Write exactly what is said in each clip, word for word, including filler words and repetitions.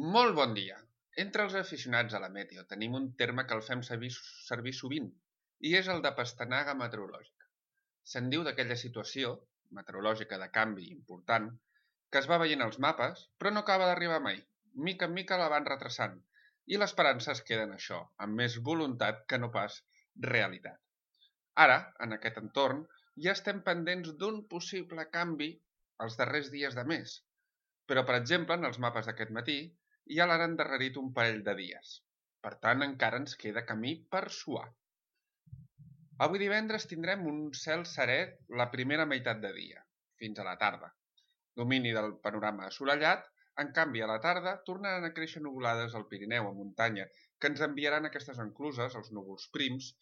Molt bon dia! Entre els aficionats a la meteo tenim un terme que el fem servir, servir sovint i és el de pastanaga meteorològica. Se'n diu d'aquella situació meteorològica de canvi important que es va veient als mapes però no acaba d'arribar mai. Mica en mica la van retrasant i l'esperança es queda en això, amb més voluntat que no pas realitat. Ara, en aquest entorn, ja estem pendents d'un possible canvi els darrers dies de mes, però, per exemple, en els mapes d'aquest matí ja l'han endarrerit un parell de dies. Per tant, encara ens queda camí per suar. Avui divendres tindrem un cel serè la primera meitat de dia, fins a la tarda. Domini del panorama assolellat, en canvi a la tarda tornaran a créixer nuvolades al Pirineu, a muntanya, que ens enviaran aquestes encluses, els núvols prims,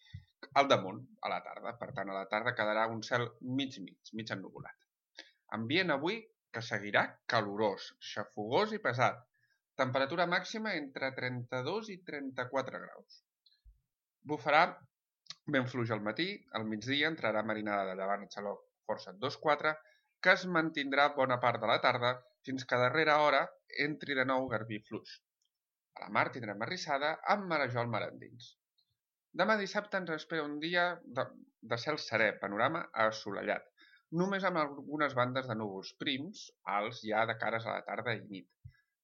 al damunt, a la tarda. Per tant, a la tarda quedarà un cel mig-mig, mig ennuvolat. Ambient avui que seguirà calorós, xafogós i pesat. Temperatura màxima entre trenta-dos i trenta-quatre graus. Bufarà ben fluix al matí, al migdia entrarà marinada de llevant a xaloc força dos quatre, que es mantindrà bona part de la tarda fins que a darrera hora entri de nou garbí fluix. A la mar tindrem arrissada amb marejol mar endins. Demà dissabte ens espera un dia de, de cel serè, panorama assolellat, només amb algunes bandes de núvols prims, alts ja de cares a la tarda i nit.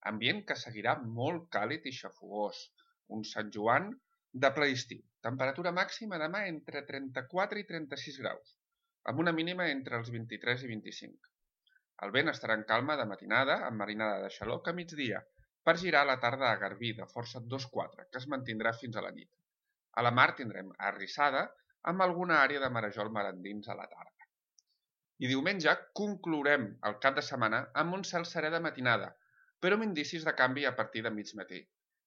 Ambient que seguirà molt càlid i xafogós, un Sant Joan de ple estiu. Temperatura màxima demà entre trenta-quatre i trenta-sis graus, amb una mínima entre els vint-i-tres i vint-i-cinc. El vent estarà en calma de matinada, amb marinada de xaloc a migdia, per girar a la tarda a garbí de força dos quatre, que es mantindrà fins a la nit. A la mar tindrem arrissada amb alguna àrea de marejol mar endins a la tarda. I diumenge conclourem el cap de setmana amb un cel serè de matinada, però amb indicis de canvi a partir de mig matí.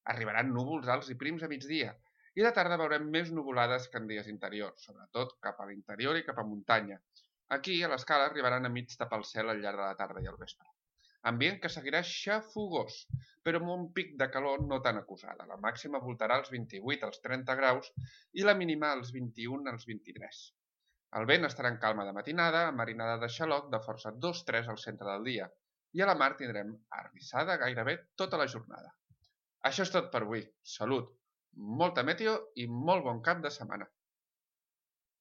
Arribaran núvols alts i prims a migdia, i de tarda veurem més nuvolades que en dies interiors, sobretot cap a l'interior i cap a muntanya. Aquí, a l'escala, arribaran a mig tapar el cel al llarg de la tarda i al vespre. Ambient que seguirà xafogós, però amb un pic de calor no tan acusada. La màxima voltarà als vint-i-vuit als trenta graus i la mínima als vint-i-un als vint-i-tres. El vent estarà en calma de matinada, amb marinada de xaloc de força dos tres al centre del dia, i a la mar tindrem arrissada gairebé tota la jornada. Això és tot per avui. Salut, molta meteo i molt bon cap de setmana.